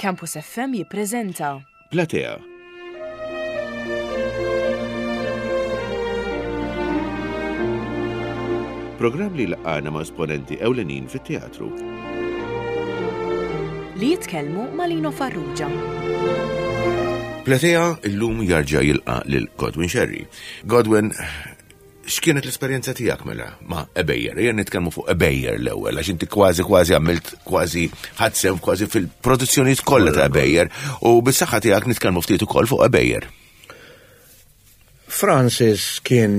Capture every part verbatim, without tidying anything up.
Campus F M jippreżenta Platea. Programm li laqana ma' esponenti ewlenin fit-teatru. Li jitkellmu ma' Lino Farrugia. Platea illum jarġa' jilqa' lil Godwin Scerri. Godwin, x'kienet l-esperjenza tiegħek mela ma' Ebejer? Ejja nitkellmu fuq Ebejer l-ewwel, għax inti kważi kważi għamilt kważi ħadsem kważi fil-produzzjonijiet kollha ta' Ebejer u bis-saħħa tiegħek nitkellmu ftit ukoll fuq Ebejer. Francis kien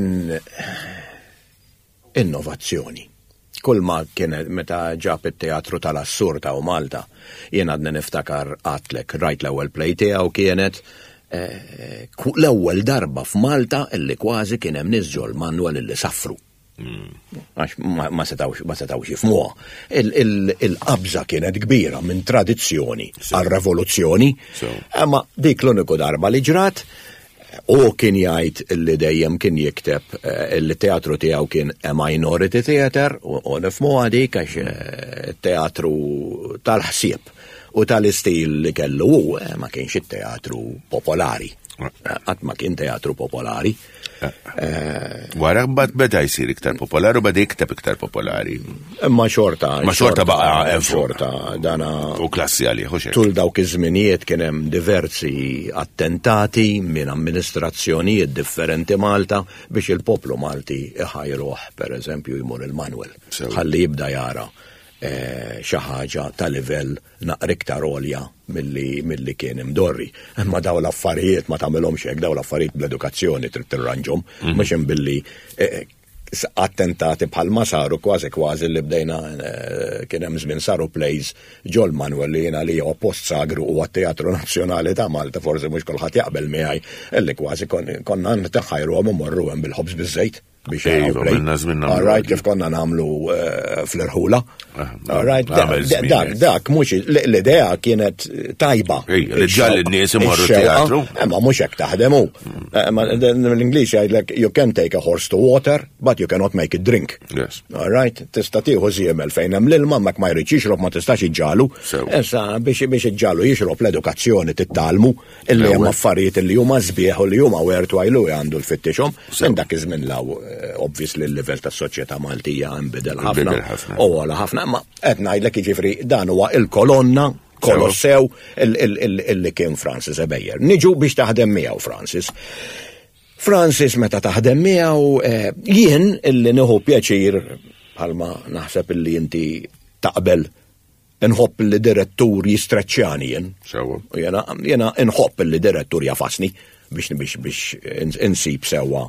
innovazzjoni. Kull ma kien meta ġab it-teatru tal-assurd ta' Malta, jien għadni niftakar għatlek, rajt l-ewwel play tiegħu kienet eh, l-ewwel darba f'Malta illi kważi kien hemm nies ġol-Manuel illi saffru. Għax ma setawx ma setawx jifhmuha. Il-qabża kienet kbira minn tradizzjoni għal revoluzzjoni. Imma dik l-uniku darba li ġrat, u kien jgħid illi dejjem kien jikteb eh, illi teatru tiegħu kien a minority theater, u nifhmuha dik għax eh, teatru tal-ħsieb u tal-istil li kellu hu eh, ma kienx it-teatru popolari. Qatt ma kien teatru popolari. Wara mbagħad beda jsir iktar popolari u beda jikteb iktar popolari. Imma xorta. Ma xorta baqa' xorta dana. U klassi għalih, u Tul dawk iż-żminijiet kien hemm diversi attentati minn amministrazzjonijiet differenti Malta biex il-poplu Malti iħajruh, per eżempju, jmur il-Manuel. Ħalli jibda jara xi ħaġa ta' livell naqra iktar għolja milli milli kien imdorri. Imma daw l-affarijiet ma tagħmilhomx hekk, daw l-affarijiet bl-edukazzjoni trid tirranġhom, mhux hemm billi attentati bħal ma saru kważi kważi li bdejna kien hemm żmien saru plays ġol Manuel li jiena li huwa post sagru u għat-Teatru Nazzjonali ta' Malta, forsi mhux kulħadd jaqbel miegħi, illi kważi konna ntaħħajruhom u morru hemm bil-ħobż biż-żejt biex jaraw play. All right, kif konna nagħmlu fl-irħula. All right, dak, dak, mhux l-idea kienet tajba. Li ġalli n-nies imorru teatru. Imma mhux hekk taħdem hu. L-Ingliż jgħidlek you can take a horse to water, but you cannot make it drink. Yes. All right, tista' tieħu żiemel fejn hemm l-ilma mak ma jridx jixrob ma tistax iġġalu. Issa biex biex iġġalu jixrob l-edukazzjoni tittalmu illi hemm affarijiet illi huma sbieħ u li huma worthwhile u għandu l-fittixhom. Minn dak iż-żmien law obviously l-livell tas-soċjetà Maltija nbidel ħafna. U għala ħafna, ma qed ngħidlek jiġifieri dan huwa il-kolonna kolossew illi kien Francis Ebejer. Niġu biex taħdem miegħu Francis. Francis meta taħdem miegħu jien illi nieħu pjaċir bħalma naħseb illi inti taqbel nħobb li direttur jistreċċjani jien. Sewa. U jena jena nħobb li direttur jafasni biex biex biex insib sewwa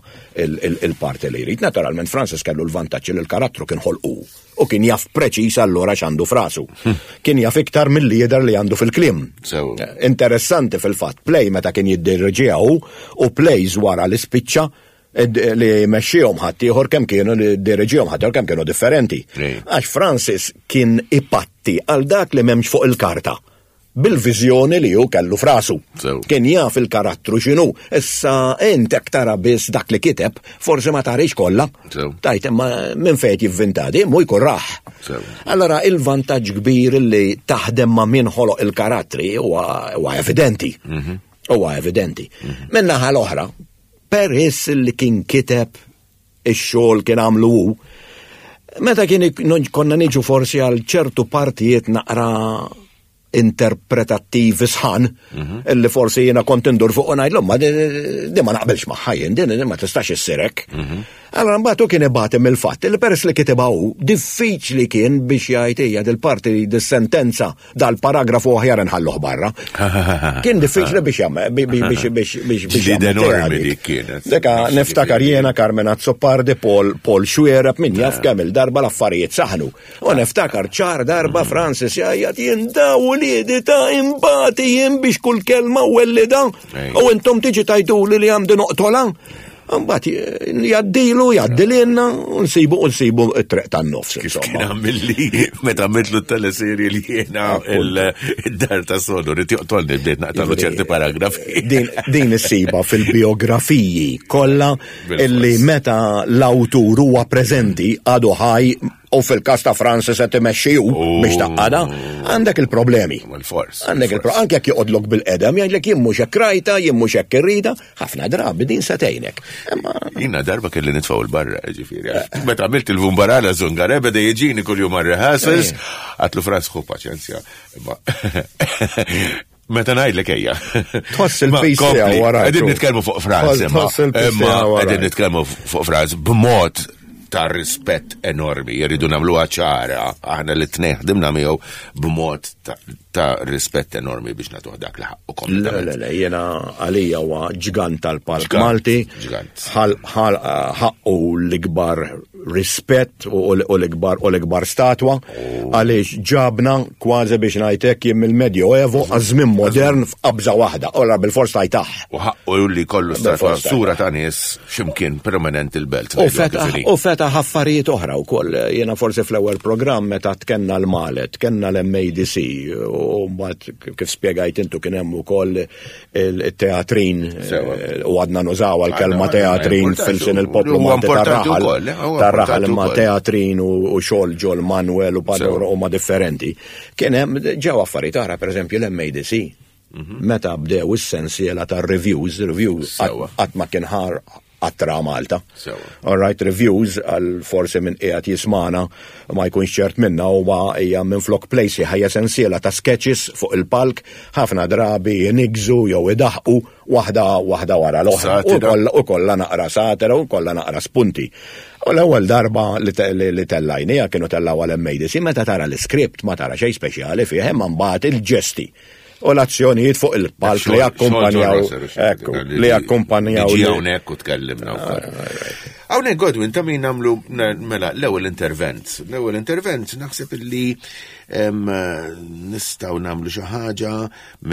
il-parti li jrid. Naturalment Francis kellu l-vantaġġ li l-karattru kien ħolqu u kien jaf preċis allura x'għandu frasu. Kien jaf iktar milli jidher li għandu fil-kliem. Sewa. Interessanti fil-fatt, play meta kien jiddirġiha hu u plays wara li spiċċa li mexxihom ħaddieħor kemm kienu li diriġihom ħaddieħor kemm kienu differenti. Għax Francis kien ipatti għal dak li m'hemmx fuq il-karta bil-viżjoni li hu kellu frasu. Kien jaf il-karattru x'inhu. Issa int hekk tara biss dak li kiteb, forsi ma tarix kollha. Tajt imma minn fejn jivvinta di, mu jkun raħ. Allora il-vantaġġ kbir li taħdem ma' min ħoloq il-karattri huwa evidenti. Huwa evidenti. Minn naħa l-oħra, peress li kien kiteb ix-xogħol kien għamlu hu, meta kien konna niġu forsi għal ċertu partijiet naqra interpretattivi sħan, illi forsi jiena kont indur fuq u ngħidlhom, ma di ma naqbilx magħha jien, din ma tistax issir hekk. Allora mbagħad hu kien ibati mill-fatt li peress li kitibha hu, diffiċli kien biex jgħid hija dil-parti dis-sentenza dal-paragrafu aħjar inħalluh barra. Kien diffiċli biex jagħmel biex biex biex biex Ġlieda enormi dik kienet. Deka niftakar jiena Carmen Azzopardi, Paul Paul Xuereb, min jaf kemm il-darba l-affarijiet saħnu. U niftakar ċar darba Francis jgħid jien daw uliedi ta' imbati jien biex kull kelma u wellida. U intom tiġi tajduli li għandi noqtola. Mbagħad jgħaddilu, jgħaddililna, u nsibu, u nsibu t-triq tan-nofs, Kif insomma. kien għamilli meta għamiltlu t-teleserje li jiena il-dar ta' sodu, rrid joqtolni bdejt naqtalu ċerti paragrafi. Din, din issiba fil-biografiji kollha Bil-fors. illi meta l-awtur huwa preżenti għadu ħaj U fil-kas ta' Francis qed imexxi hu biex taqqada, għandek il-problemi. Fors. Għandek il-problemi. Anke jekk joqgħodlok bil-qedem, jgħidlek jien mhux hekk rajta, jien mhux hekk irrida, ħafna drabi din se tgħinek. Jiena darba kelli nitfgħu l-barra, ġifieri. Meta għamilt il-Vumbarala Zungare beda jiġini kuljum għar-rehearsals, għatlu Franz ħu paċenzja. Meta ngħidlek ejja. Tħoss il-pis tiegħu wara. Qegħdin nitkellmu fuq Franz, imma qegħdin nitkellmu fuq Franz b'mod ta' rispett enormi, jridu nagħmluha ċara, aħna li tnejn ħdimna miegħu b'mod ta' rispett enormi biex nagħtuh dak li ħaqqu kompletament. Le, le, le, jiena għalija huwa ġgant tal-palk Malti, ħaqqu l-ikbar rispett u l-ikbar u l-ikbar statwa, għaliex ġabna kważi biex ngħidlek jien mill-Medjoevo għaż-żmien modern f'qabża waħda, ora bil-fors tajtaħ. U ħaqqu li kollu statwa sura ta' nies x'imkien permanent il-belt. U fetaħ affarijiet oħra wkoll. Jiena forsi fl-ewwel programm meta tkenna l-Malet, tkenna l-M A D C, u mbagħad kif spjegajt intu kien hemm ukoll il-teatrin, u għadna nużaw għal-kelma teatrin fil-sin il-poplu Malti tar-raħal, tar-raħal imma teatrin u xogħol ġol Manuel u Pador huma differenti. Kien hemm ġew affarijiet oħra, pereżempju l-M A D C. Meta bdew is-sensiela tar-reviews, reviews qatt ma kien ħar għattra Malta. All right, reviews għal forsi minn qiegħed jismana ma jkunx ċert minna huwa hija minn flok place ħajja sensiela ta' sketches fuq il-palk, ħafna drabi jinigżu jew idaħqu waħda waħda wara l-oħra. U kollha naqra satira u kollha naqra spunti. U l-ewwel darba li tellajnija kienu tellaw għal M A D C, meta tara l-iskript ma tara xejn speċjali fih, imma mbagħad il-ġesti u l-azzjonijiet fuq il-palk li jakkumpanjaw, ekku, li jakkumpanjaw. Ġi hawnhekk u tkellimna wkoll. Hawnhekk, Godwin, ta' min nagħmlu mela l-ewwel intervent. L-ewwel intervent naħseb illi nistgħu nagħmlu xi ħaġa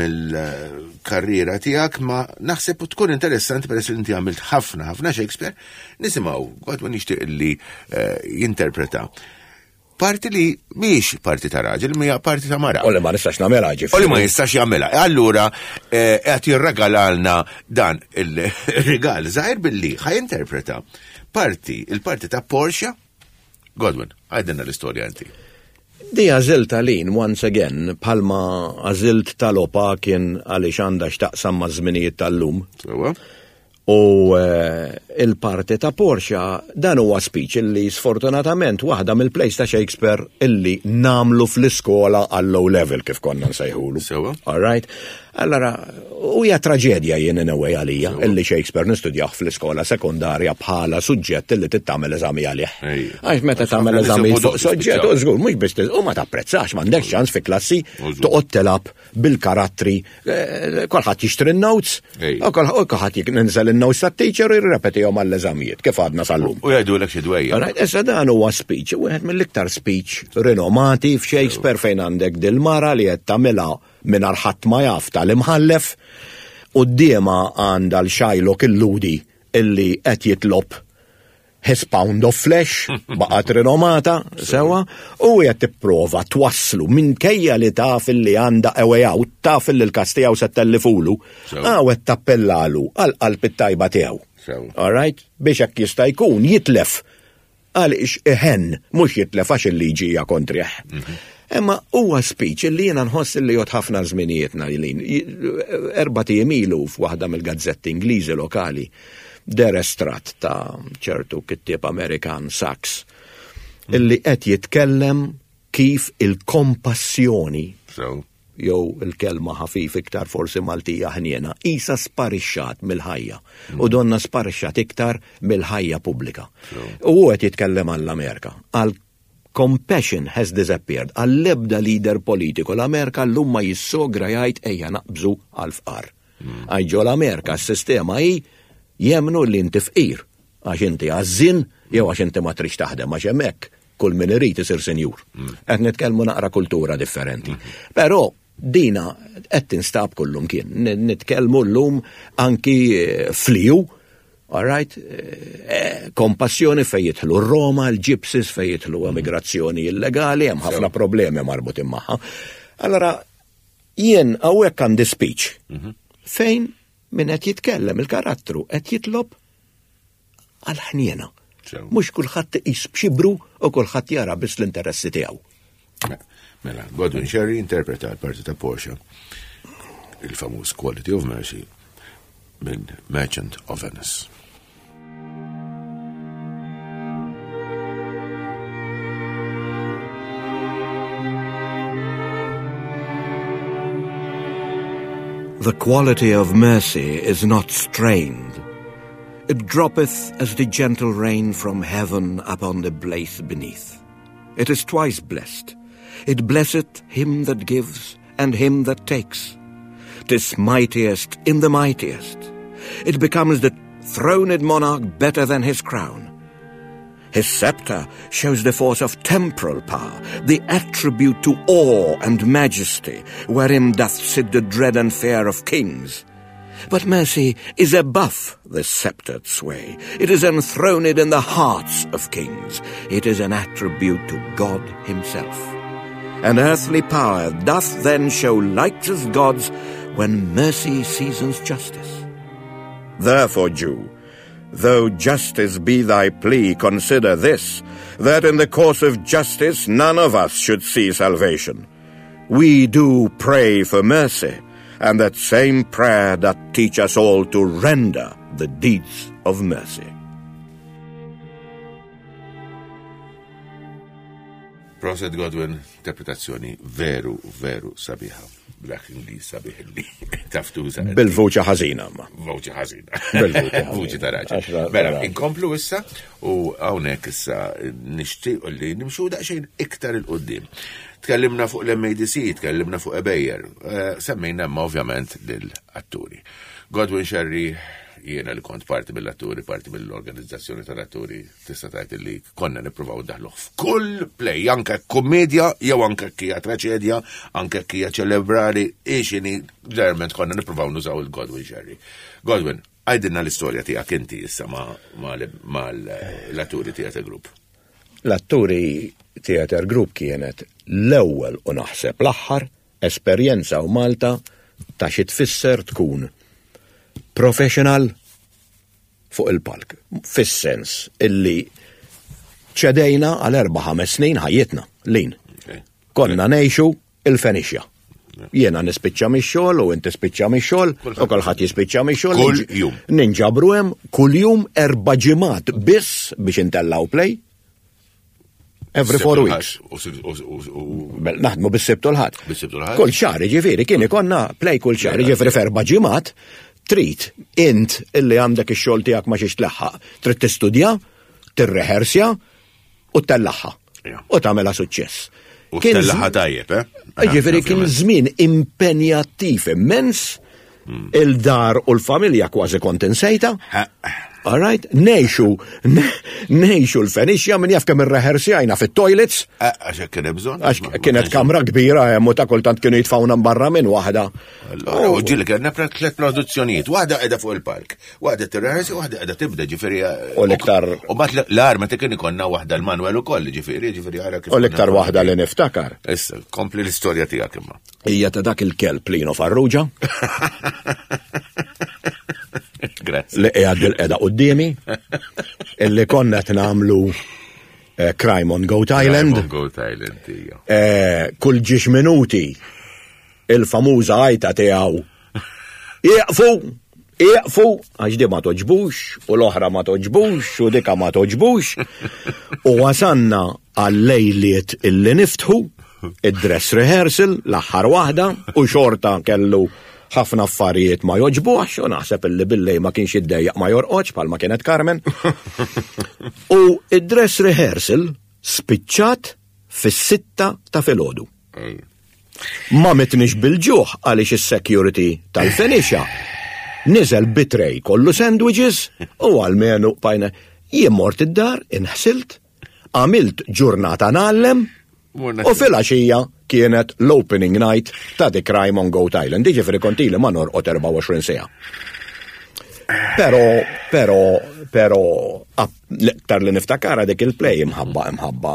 mill-karriera tiegħek, ma naħseb tkun interessanti peress li inti għamilt ħafna ħafna Shakespeare, nisimgħu Godwin nixtieq illi eh, jinterpreta parti li mhix parti ta' raġel, mija parti ta' mara. U li ma nistax nagħmilha, ġifieri. U li ma jistax jagħmilha. Allura eh, qed jirregalalna dan il-rigal żgħir billi ħa jinterpreta parti, il-parti ta' Portia. Godwin, għajdilna l-istorja inti. Di għażilt għalin, once again, bħalma għażilt tal-opa kien għaliex għandha x'taqsam ma' żminijiet tal-lum. U eh, il-parti ta' Portia, dan huwa speech illi sfortunatament waħda mill-plays ta' Shakespeare illi namlu fl-iskola għall low level kif konna nsejħulu. Sewa. All right? Allora, u hija traġedja jien in a way għalija illi Shakespeare nistudjah fl-iskola sekondarja bħala suġġett illi tittamel eżami għalih. Għax meta tagħmel eżami fuq suġġett, u żgur mhux biss u ma tapprezzax, m'għandekx ċans fi klassi toqgħod telab bil-karattri, eh, kulħadd jixtri n-notes, u kulħadd jinżel in-notes tat-teacher u jirrepetihom għall-eżamijiet kif għadna sal-lum. U jgħidulek xi dwejja. Issa dan huwa speech, wieħed mill-iktar speech rinomati f'Shakespeare fejn għandek dil-mara li qed tagħmilha mingħajr ħadd ma jaf tal-imħallef, quddiemha għandha l-Shylock il-Lhudi illi qed jitlob his pound of flesh, baqgħet rinomata, sewa, u qed tipprova twasslu minkejja li taf li għandha a way out, taf li l-kas tiegħu se tellifulu, għaw qed tappellalu għal qalb it-tajba tiegħu. All right? Biex hekk jista' jkun jitlef għaliex iħen, mhux jitlef għax il-liġi hija kontrih. Imma huwa speech li jiena nħoss li jgħodd ħafna żminijietna jlin. Erbat ijiem ilu f'waħda mill-gazzetti Ingliżi lokali deher estratt ta' ċertu kittieb Amerikan Sachs illi qed jitkellem kif il-kompassjoni jew il-kelma ħafif iktar forsi Maltija ħniena, isa sparixxat mill-ħajja u donna sparixxat iktar mill-ħajja pubblika. U qed jitkellem għall-Amerika, għal compassion has disappeared. Għall-ebda leader politiku l-Amerika l-lum ma jissogra jgħid ejja naqbżu għal-fqar. Għax ġo l-Amerika s-sistema hi jemnu li inti fqir għax inti għażżien jew għax inti ma trix taħdem, għax hemmhekk kull min irid isir senjur. Qed nitkellmu naqra kultura differenti. Però dina qed tinstab kullum kien. Nitkellmu llum anki fliju. All right, eh, kompassjoni fej jidħlu Roma, l-Gypsies, fej jidħlu emigrazzjoni illegali, hemm ħafna problemi marbutin magħha. Allora, jien hawnhekk għandi speech fejn min qed jitkellem il-karattru qed jitlob għal-ħniena. Mhux kulħadd iqis b'xibru u kulħadd jara biss l-interessi tiegħu. Mela, Godwin Scerri interpreta l-parti ta' Portia, il-famuż Quality of Mercy minn Merchant of Venice. The quality of mercy is not strained. It droppeth as the gentle rain from heaven upon the blithe beneath. It is twice blessed. It blesseth him that gives and him that takes. 'Tis mightiest in the mightiest. It becomes the throned monarch better than his crown. His scepter shows the force of temporal power, the attribute to awe and majesty, wherein doth sit the dread and fear of kings. But mercy is above the sceptred sway. It is enthroned in the hearts of kings. It is an attribute to God himself. And earthly power doth then show like as God's when mercy seasons justice. Therefore, Jew, though justice be thy plea, consider this, that in the course of justice none of us should see salvation. We do pray for mercy, and that same prayer doth teach us all to render the deeds of mercy. Proset Godwin, interpretazzjoni veru, veru sabiħa. Black Ingliż sabiħ li taf tuża. Bil-vuċi ħażina ma. Vuċi ħażina. Bil-vuċi ta' raġel. Mela, inkomplu issa u hawnhekk issa nixtieq li nimxu daqsxejn iktar il qudiem. Tkellimna fuq l-M A D C, tkellimna fuq Ebejer, semmejna imma ovvjament lill-atturi. Godwin Scerri, jiena li kont parti mill-atturi, parti mill-organizzazzjoni tal-atturi, tista' tgħid li konna nippruvaw ndaħluh f'kull play, anke kommedja jew anke hija traċedja, anke hija ċelebrali, ixini, ġeneralment konna nippruvaw nużaw il-Godwin Scerri. Godwin, għajdilna l-istorja tiegħek inti issa mal-atturi Theatre Group. L-atturi Theatre Group kienet l-ewwel u naħseb l-aħħar esperjenza u Malta ta' xi tfisser tkun professional fuq il-palk, fis-sens illi ċedejna għal erba' ħames snin ħajjitna, lin. Konna ngħixu il-Fenixja. Jiena nispiċċa mix-xogħol u inti spiċċa mix-xogħol u kulħadd jispiċċa mix-xogħol. Kull jum. Ninġabru hemm kull jum erba' ġimgħat biss biex intellaw play. Every four weeks. Naħdmu bis-Sibt u l-Ħadd. Bis-Sibt u l-Ħadd. Kull xahar, jiġifieri, kien ikollna play kull xahar, jiġifieri f'erba' ġimgħat. Trid int illi għandek ix-xogħol tiegħek ma xiex tlaħħaq, trid tistudja, tirrehersja u tellaħħa. U tagħmilha suċċess. U tellaħħa tajjeb, eh? Jiġifieri kien żmien impenjattiv immens, il-dar u l-familja kważi kont insejta. All right, nejxu, nejxu l-Fenixja min jaf kemm irrehersjajna fit-toilets. Għax kien hemm bżonn. Għax kienet kamra kbira hemm u ta' kultant kienu jitfawna barra minn waħda. U ġieli kellna tliet produzzjonijiet, waħda qiegħda fuq il-palk, waħda tirrehersi, waħda qiegħda tibda, ġifieri. U l-iktar. U mbagħad l-ar meta kien ikollna waħda l-Manuel ukoll, ġifieri, ġifieri ara kif. U l-iktar waħda li niftakar. Issa, kompli l-istorja tiegħek imma. Hija ta' dak il-kelb Lino Farrugia. Grazie. Li qiegħed bil-qeda quddiemi, illi konna qed nagħmlu Crime on Goat Island. Crime on Goat Island, hija. Kull ġiex minuti il-famuża għajta tiegħu. Ieqfu, ieqfu, għax di ma toġbux, u l-oħra ma toġbux, u dika ma toġbux. U wasanna għal-lejliet illi niftħu, id-dress rehearsal, l-aħħar waħda, u xorta kellu ħafna affarijiet ma joġbuħx, u naħseb illi billej ma kienx jiddejjaq ma jorqodx bħalma kienet Carmen. U id-dress rehearsal spiċċat fis-sitta ta' filgħodu. Ma mitniex bil-ġuħ għaliex is-security tal-Fenixja niżel bitrej kollu sandwiches u għalmenu bajna. Jien mort id-dar, inħsilt, għamilt ġurnata ngħallem, u fil-għaxija kienet l-opening night ta' The Crime on Goat Island. Jiġifieri kont ili ma norqod erbgħa u għoxrin siegħa. Però, però, però, l-iktar li niftakara dik il-play imħabba, imħabba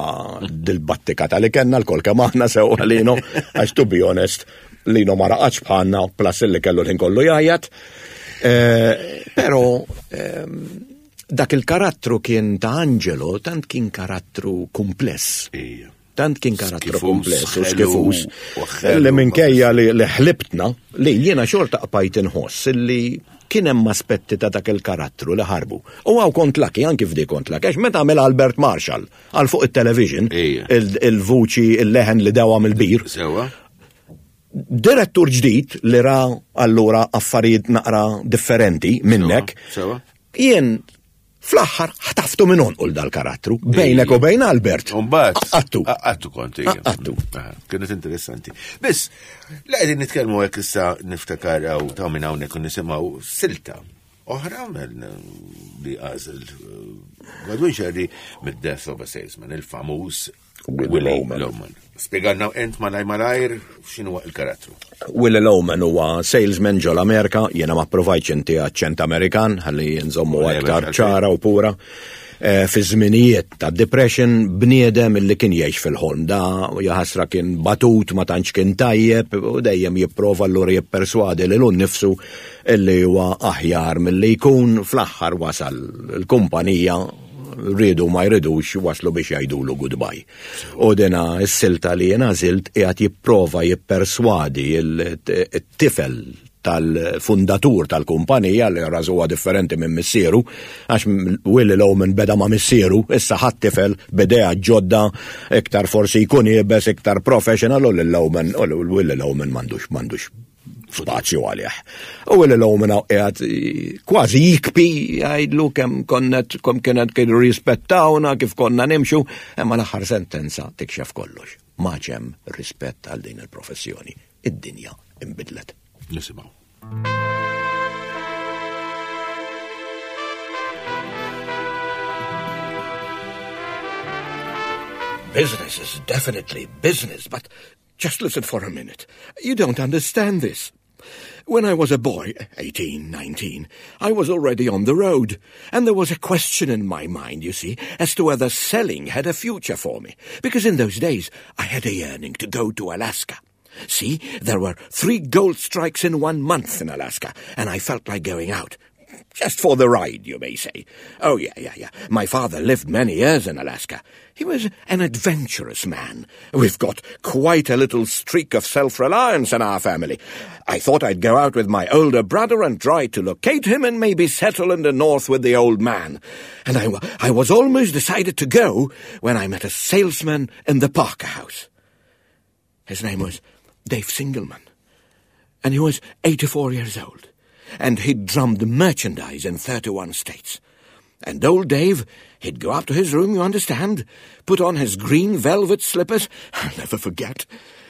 dil-battika ta' li kellna l-kol kemm aħna sewwa Lino, għax to be honest, Lino ma raqadx bħalna, plus li kellu l-ħin kollu jgħajjat. Però, Dak il-karattru kien ta' Angelo, tant kien karattru kumpless. Ija. Tant kien karattru Skifus, kumpless u ħelu, skifus. u ħelu. Li minkejja li li ħlibtna, li jiena xorta qbajt inħoss li kien hemm aspetti ta' dak il-karattru li ħarbu. U hawn kont lucky, anki f'di kont lucky, għax meta għamel Albert Marshall għal fuq it-television, Ija. il- il-vuċi, il-leħen li dewa mill-bir, Sewa? direttur ġdid li ra allura affarijiet naqra differenti minnek, Sewa. jien fl-aħħar ħtaftu minn għonqu dal-karattru, bejnek u bejn Albert. Umbat. Għattu. Għattu kont. ija. Għattu. Aha, Kienet interessanti. Biss, la qegħdin nitkellmu hekk issa niftakar hawn ta' minn hawnhekk u nisimgħu silta oħra minn li għażel eh, Godwin Sherry mid-Death of a Salesman, il-famuż Willy Willy Loman. Loman. Spjegalna ent malaj malajr x'inhu il-karattru. Willy Loman huwa salesman ġol Amerika, jiena ma provajtx inti aċċent Amerikan, ħalli nżommu Le, aktar għalfejn. ċara u pura. Eh, Fi żminijiet ta' Depression bniedem illi kien jgħix fil-ħolm da jaħasra kien batut ma tantx kien tajjeb u dejjem jipprova allura jipperswadi lilu nnifsu illi huwa aħjar milli jkun. Fl-aħħar wasal il-kumpanija rridu ma jridux waslu biex jgħidulu goodbye. U dina s-silta li jena zilt qiegħed jipprova jipperswadi il-tifel tal-fundatur tal-kumpanija li rażuha differenti minn missieru, għax Willy Loman beda ma' missieru, issa ħadd tifel bidea ġodda, iktar forsi jkun iebes, iktar professional, u lil Loman, u Willy Loman m'għandux m'għandux spazju għalih. U Willy Loman qiegħed kważi jikpi jgħidlu kemm konnet kemm kienet kienu rispettawna kif konna nimxu, imma l-aħħar sentenza tikxef kollox. Ma hemm rispett għal din il-professjoni. Id-dinja imbidlet. Nisimgħu. Business is definitely business, but just listen for a minute. You don't understand this. When I was a boy, eighteen, nineteen, I was already on the road, and there was a question in my mind, you see, as to whether selling had a future for me, because in those days I had a yearning to go to Alaska. See, there were three gold strikes in one month in Alaska, and I felt like going out. Just for the ride, you may say. Oh, yeah, yeah, yeah. My father lived many years in Alaska. He was an adventurous man. We've got quite a little streak of self-reliance in our family. I thought I'd go out with my older brother and try to locate him and maybe settle in the north with the old man. And I, wa- I was almost decided to go when I met a salesman in the Parker House. His name was Dave Singleman, and he was eighty-four years old, and he'd drummed merchandise in thirty-one states. And old Dave, he'd go up to his room, you understand, put on his green velvet slippers, I'll never forget,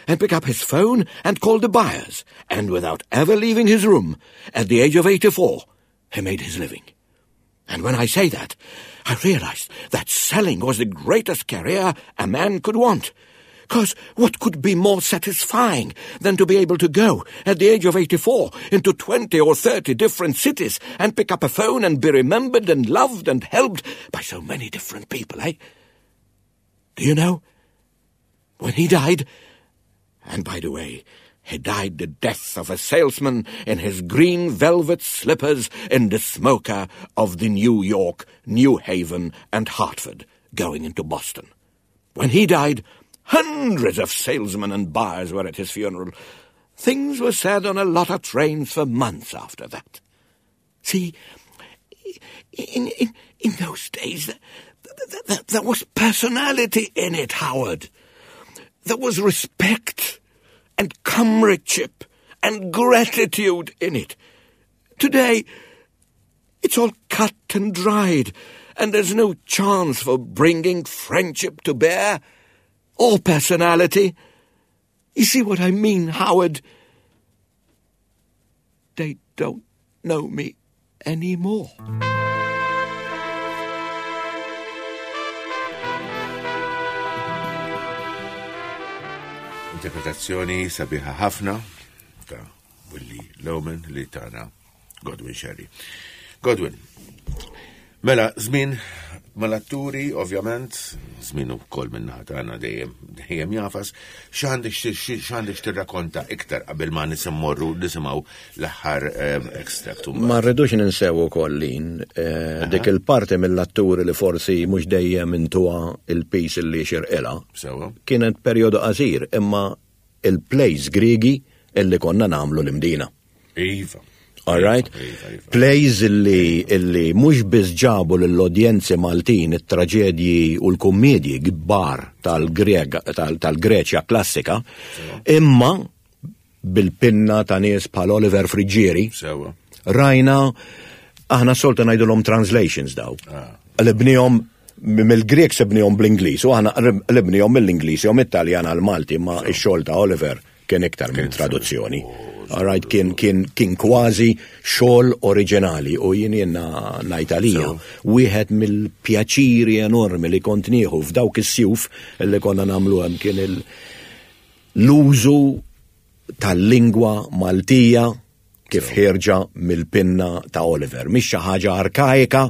and pick up his phone and call the buyers, and without ever leaving his room, at the age of eighty-four, he made his living. And when I say that, I realized that selling was the greatest career a man could want. 'Cause what could be more satisfying than to be able to go, at the age of eighty-four, into twenty or thirty different cities and pick up a phone and be remembered and loved and helped by so many different people, eh? Do you know? When he died, and by the way, he died the death of a salesman in his green velvet slippers in the smoker of the New York, New Haven and Hartford, going into Boston. When he died, hundreds of salesmen and buyers were at his funeral. Things were said on a lot of trains for months after that. See, in, in, in those days, th-, th-, th-, there was personality in it, Howard. There was respect and comradeship and gratitude in it. Today, it's all cut and dried, and there's no chance for bringing friendship to bear or personality. You see what I mean, Howard? They don't know me anymore. Interpretazzjoni sabiħa ħafna ta' Willy Loman li tana Godwin Sherry. Godwin, mela, żmien Mal-atturi, ovvjament, żmien ukoll min-naħa tagħna dejjem dejjem jafas, x'għandek x'għandek tirrakkonta iktar qabel ma nisimorru nisimgħu l-aħħar extract. Ma rridux ninsew ukoll lin eh, dik il-parti mill-atturi li forsi mhux dejjem intuha il-pis li xirqilha. Sewa. Kienet perjodu qasir, imma il-plays Griegi illi konna nagħmlu l-Imdina. Iva. All right? Iva, iva. Plays illi, illi mhux biss ġabu lill-udjenzi Maltin it-traġedji u l-kummedji kbar tal-Greċja klassika, imma bil-pinna ta' nies bħal Oliver Friggieri, Sewa. rajna aħna solta ngħidulhom translations daw. Ah. Qlibnihom mill-Grek sibnihom bl-Ingliż u aħna qlibnihom mill-Ingliż jew mit-Taljan għal-Malti, ma x-xogħol ta' Oliver kien iktar minn traduzzjoni. All right, kien, kien, kien kważi xogħol oriġinali u jien jiena ngħid għalija wieħed mill-pjaċiri enormi li kont nieħu f'dawk is-sjuf li konna nagħmlu hemm kien il- l-użu tal-lingwa Maltija kif ħierġa mill-pinna ta' Oliver. Mhix xi ħaġa arkaika,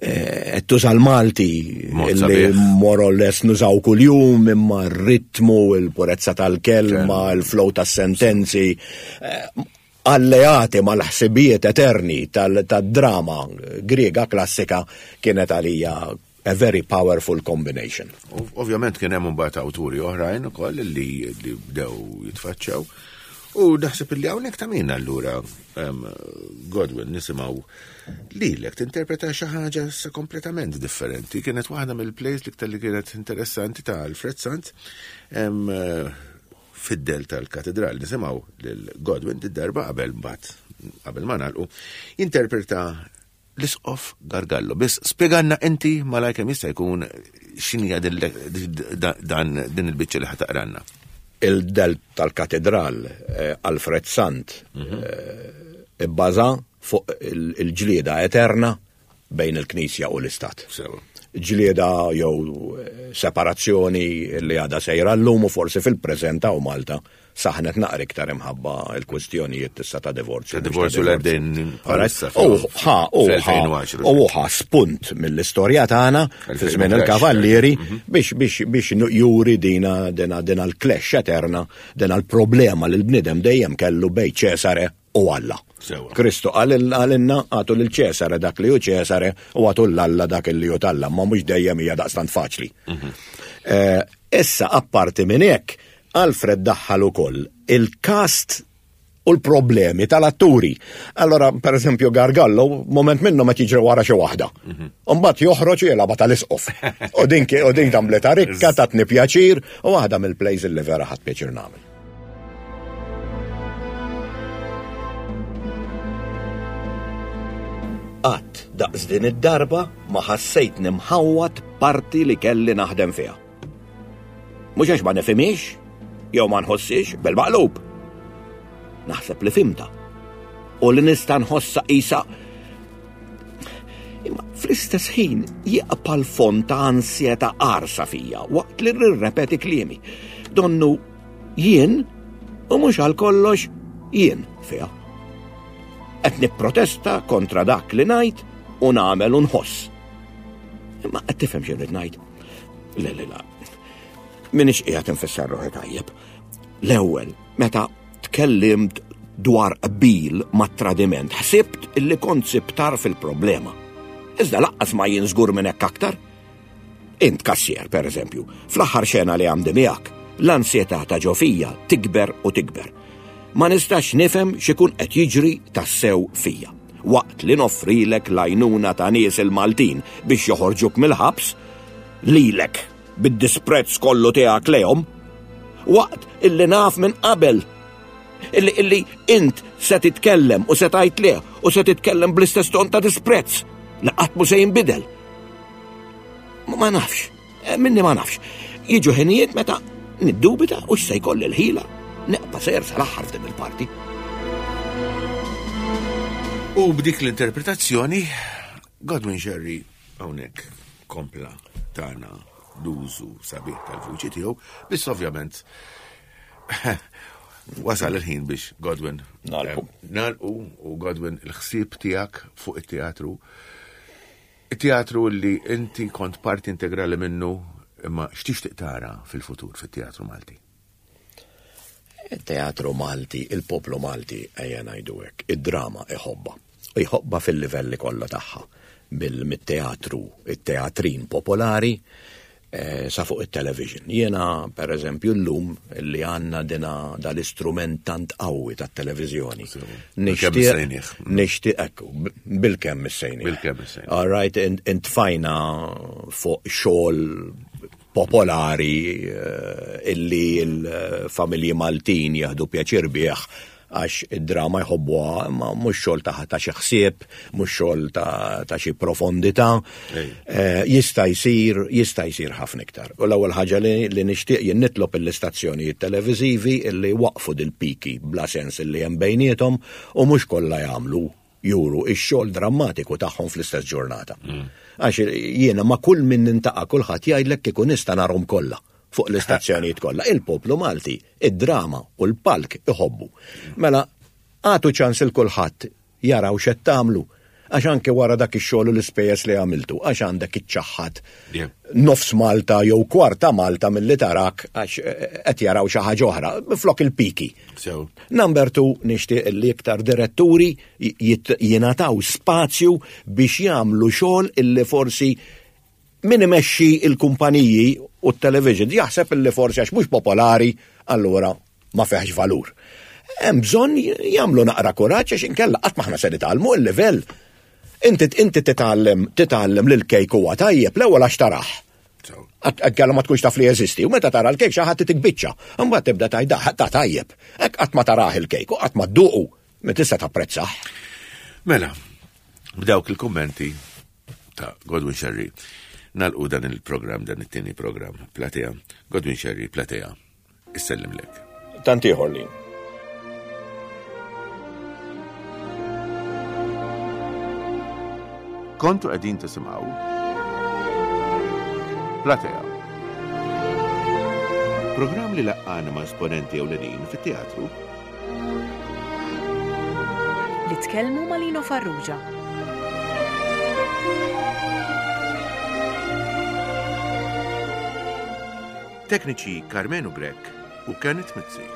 eh, qed tuża l-Malti Mod illi sabiħ. more or less nużaw kuljum imma r-ritmu, il-purezza tal-kelma, il-flow tas-sentenzi, eh, alleati mal-ħsibijiet eterni tal-drama Griega klassika kienet għalija a very powerful combination. Ov- Ovvjament kien hemm imbagħad awturi oħrajn ukoll li li bdew jitfaċċaw. U naħseb illi hawnhekk ta' min allura em, Godwin nisimgħu lilek tinterpreta xi ħaġa sa kompletament differenti. Kienet waħda mill-plays l-iktar li kienet interessanti ta' Alfred Sant em, eh, fid-del tal-katedral. Nisimgħu lil Godwin d-darba qabel mbagħad qabel ma nagħlqu jinterpreta l-isqof Gargallo. Biss spjegalna inti malajr kemm jista' jkun x'inhija din dan din il-biċċa li ħa taqralna. Il-del tal-katedral eh, Alfred Sant eh, ibbaża fuq il- il-ġlieda eterna bejn il-Knisja u l-Istat. Sewa. Ġlieda jew eh, separazzjoni li għadha sejra llum u forsi fil-preżent u Malta saħnet naqra iktar imħabba il-kwistjonijiet tista' ta' divorzju. Ta' divorzju mhux li għaddejn bħalissa U ħa, u ħa, fl-elfejn u għaxra. u ħa spunt mill-istorja tagħna fi żmien il-kavallieri biex biex biex juri dina dina dina l-clash eterna, dina l-problema li l-bniedem dejjem kellu bejn Ċesare u Alla. Sewa. Kristu qalilna agħtu lil Ċesare dak li hu Ċesare u agħtu 'l Alla dak li hu t'Alla, ma mhux dejjem hija daqstant faċli. Eh, Issa apparti minn hekk, Alfred daħħal ukoll il-cast u l-problemi tal-atturi. Allora, per eżempju, Gargallo, moment minnu ma tiġri wara xi waħda. Mbagħad joħroġ u jilgħabha tal-isqof. U din u din tamleta rikka, tatni pjaċir, u waħda mill-plays li vera ħadt pjaċir nagħmel. Qatt daqs din id-darba ma ħassejt nimħawwat parti li kelli naħdem fiha. Mhux għax ma nifhimhiex, jew ma nħossix bil-maqlub. Naħseb li fhimtha. U li nista' nħossa qisha. Imma fl-istess ħin jibqa' l-fond ta' ansjetà qarsa fija waqt li nirrepeti kliemi. Donnu jien u mhux għal kollox jien fiha. Qed nipprotesta kontra dak li ngħid u nagħmel u nħoss. Imma qed tifhem xi rrid ngħid. Le, le, la. Minix qiegħed infisser ruħi tajjeb. L-ewwel, meta tkellimt dwar qbil ma' tradiment, ħsibt illi kont sibt tarf il-problema. Iżda lanqas ma jien żgur minn hekk aktar. Int kassier, per eżempju, fl-aħħar xena li għandi miegħek, l-ansjetà ta' ġo fija tikber u tikber. Ma nistax nifhem x'ikun qed jiġri tassew fija. Waqt li noffrilek l-għajnuna ta' nies il-Maltin biex joħorġuk mill-ħabs, lilek bid-disprezz kollu tiegħek lejhom, waqt illi naf minn qabel illi illi int se titkellem u se tgħid leh u se titkellem bl-istess ton ta' disprezz li qatt mhu se jinbidel. Ma ma nafx, eh, minni ma nafx. Jiġu ħinijiet meta niddubita u x'se jkolli l-ħila nibqa' sejjer sal-aħħar f'din il-parti. U b'dik l-interpretazzjoni, Godwin Scerri hawnhekk kompla tana l-użu sabiħ tal-vuċi tiegħu, biss ovvjament wasal il-ħin biex Godwin Nagħlqu. eh, nagħlqu u Godwin il-ħsieb tiegħek fuq it-teatru. Teatru li inti kont parti integrali minnu, imma x'tixtieq tara fil-futur fit-teatru Malti? Il-teatru Malti, il-poplu Malti, ejja ngħidu hekk, id-drama iħobbha. U jħobbha fil-livelli kollha tagħha. Bil-teatru, it-teatrin popolari, eh, sa fuq it-television. Jiena, per eżempju, llum li għandna dina dal-istrument tant qawwi tat-televiżjoni. Nixtieq, nixtieq, ekku, bil-kemm issejnieh. Bil-kemm issejnieh. All right, intfajna fuq xogħol popolari eh, illi l-familji Maltin jieħdu pjaċir bih għax id-drama jħobbuha, ma mhux xogħol ta' ta' xi ħsieb, mhux xogħol ta' ta' xi profondità. Eh, jista' jsir, jista' jsir ħafna iktar. U l-ewwel ħaġa li, li nixtieq jien nitlob l-istazzjonijiet televiżivi illi waqfu dil-piki bla sens illi hemm bejniethom u mhux kollha jagħmlu juru ix-xogħol drammatiku tagħhom fl-istess ġurnata. Għax jiena ma' kull min nintaqa' kulħadd jgħidlek kieku nista' narhom kollha fuq l-istazzjonijiet kollha. Il-poplu Malti, id-drama u l-palk iħobbu. Mela, għatu ċans il kulħadd jaraw x'qed tagħmlu. Għax anke wara dak ix-xogħol u l-ispejjeż li għamiltu, għax għandek iċċaħħad Yeah. nofs Malta jew kwarta Malta milli tarak għax eh, qed jaraw xi ħaġa oħra, flok il-piki. So, Number two, nixtieq li iktar diretturi jit- jingħataw spazju biex jagħmlu xogħol illi forsi min imexxi il-kumpaniji u t-television jaħseb illi forsi għax mhux popolari, allura ma fihx valur. Hemm bżonn jagħmlu naqra kuraġġ għax inkella qatt m'aħna se nitgħallmu il-livell. Inti inti titgħallem titgħallem li l-kejk huwa tajjeb l-ewwel għax tarah. so. Għalla ma tkunx taf li jeżisti, u meta tara l-kejk xi ħadd tikbiċċa, imbagħad tibda tgħid ta' tajjeb. Hekk qatt ma tarah il-kejk u qatt ma dduqu, ma tista' tapprezzah. Mela, b'dawk il-kommenti ta' Godwin Scerri, nagħlqu dan il-program, dan it-tieni program, Platea. Godwin Scerri, Platea, issellimlek. Tant ieħor li. Kontu qegħdin tisimgħu Platea. Program li laqqana ma' esponenti ewlenin fit-teatru Li tkellmu ma' Lino Farrugia. Tekniċi Carmenu Grech u Kenneth Mizzi.